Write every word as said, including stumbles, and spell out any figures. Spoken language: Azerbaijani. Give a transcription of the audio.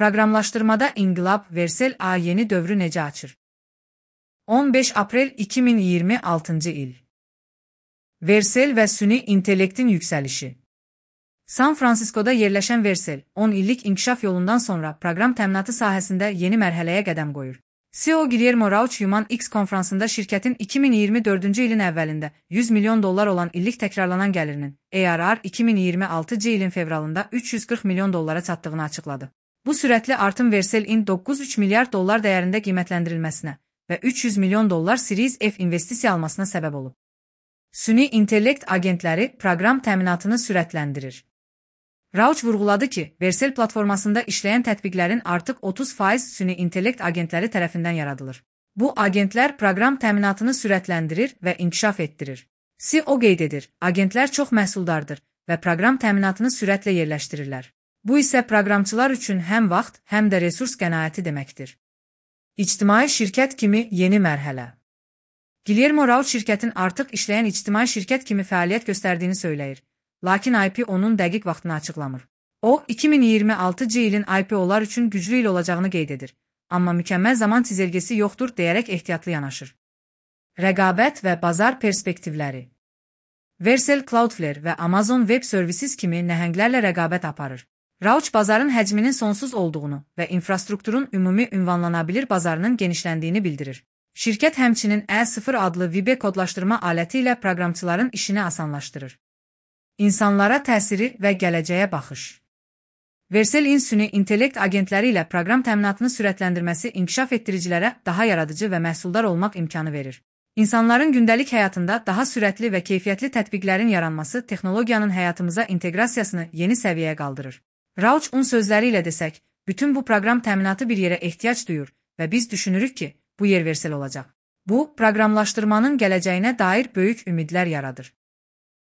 Proqramlaşdırmada inqilab Versel A yeni dövrü necə açır? on beş aprel iki min iyirmi altıncı il. Versel və süni intellektin yüksəlişi. San Fransiskoda yerləşən Versel, on illik inkişaf yolundan sonra proqram təminatı sahəsində yeni mərhələyə qədəm qoyur. C E O Guillermo Rauch Human X konfransında şirkətin iki min iyirmi dördüncü ilin əvvəlində yüz milyon dollar olan illik təkrarlanan gəlirinin A R R iki min iyirmi altıncı ilin fevralında üç yüz qırx milyon dollara çatdığını açıqladı. Bu sürətli artım Versel'in doqquz nöqtə üç milyard dollar dəyərində qiymətləndirilməsinə və üç yüz milyon dollar Series F investisiya almasına səbəb olub. Süni intellekt agentləri proqram təminatını sürətləndirir. Rauch vurğuladı ki, Versel platformasında işləyən tətbiqlərin artıq otuz faiz süni intellekt agentləri tərəfindən yaradılır. Bu agentlər proqram təminatını sürətləndirir və inkişaf etdirir. C E O qeyd edir, agentlər çox məhsuldardır və proqram təminatını sürətlə yerləşdirirlər. Bu isə proqramçılar üçün həm vaxt, həm də resurs qənaəti deməkdir. İctimai şirkət kimi yeni mərhələ. Guillermo Rauch şirkətin artıq işləyən ictimai şirkət kimi fəaliyyət göstərdiyini söyləyir, lakin I P O'nun dəqiq vaxtını açıqlamır. O, iki min iyirmi altıncı ilin I P O'lar üçün güclü il olacağını qeyd edir, amma mükəmməl zaman çizelgesi yoxdur deyərək ehtiyatlı yanaşır. Rəqabət və bazar perspektivləri. Versel, Cloudflare və Amazon Web Services kimi nəhənglərlə rəqabət aparır. Rauch bazarın həcminin sonsuz olduğunu və infrastrukturun ümumi ünvanlanabilir bazarının genişləndiyini bildirir. Şirkət həmçinin E sıfır adlı Vibe kodlaşdırma aləti ilə proqramçıların işini asanlaşdırır. İnsanlara təsiri və gələcəyə baxış. Versel'in süni intellekt agentləri ilə proqram təminatını sürətləndirməsi inkişaf etdiricilərə daha yaradıcı və məhsuldar olmaq imkanı verir. İnsanların gündəlik həyatında daha sürətli və keyfiyyətli tətbiqlərin yaranması texnologiyanın həyatımıza inteqrasiyasını yeni səviyyəyə qaldırır. Rauch'un sözləri ilə desək, bütün bu proqram təminatı bir yerə ehtiyac duyur və biz düşünürük ki, bu yer Versel olacaq. Bu, proqramlaşdırmanın gələcəyinə dair böyük ümidlər yaradır.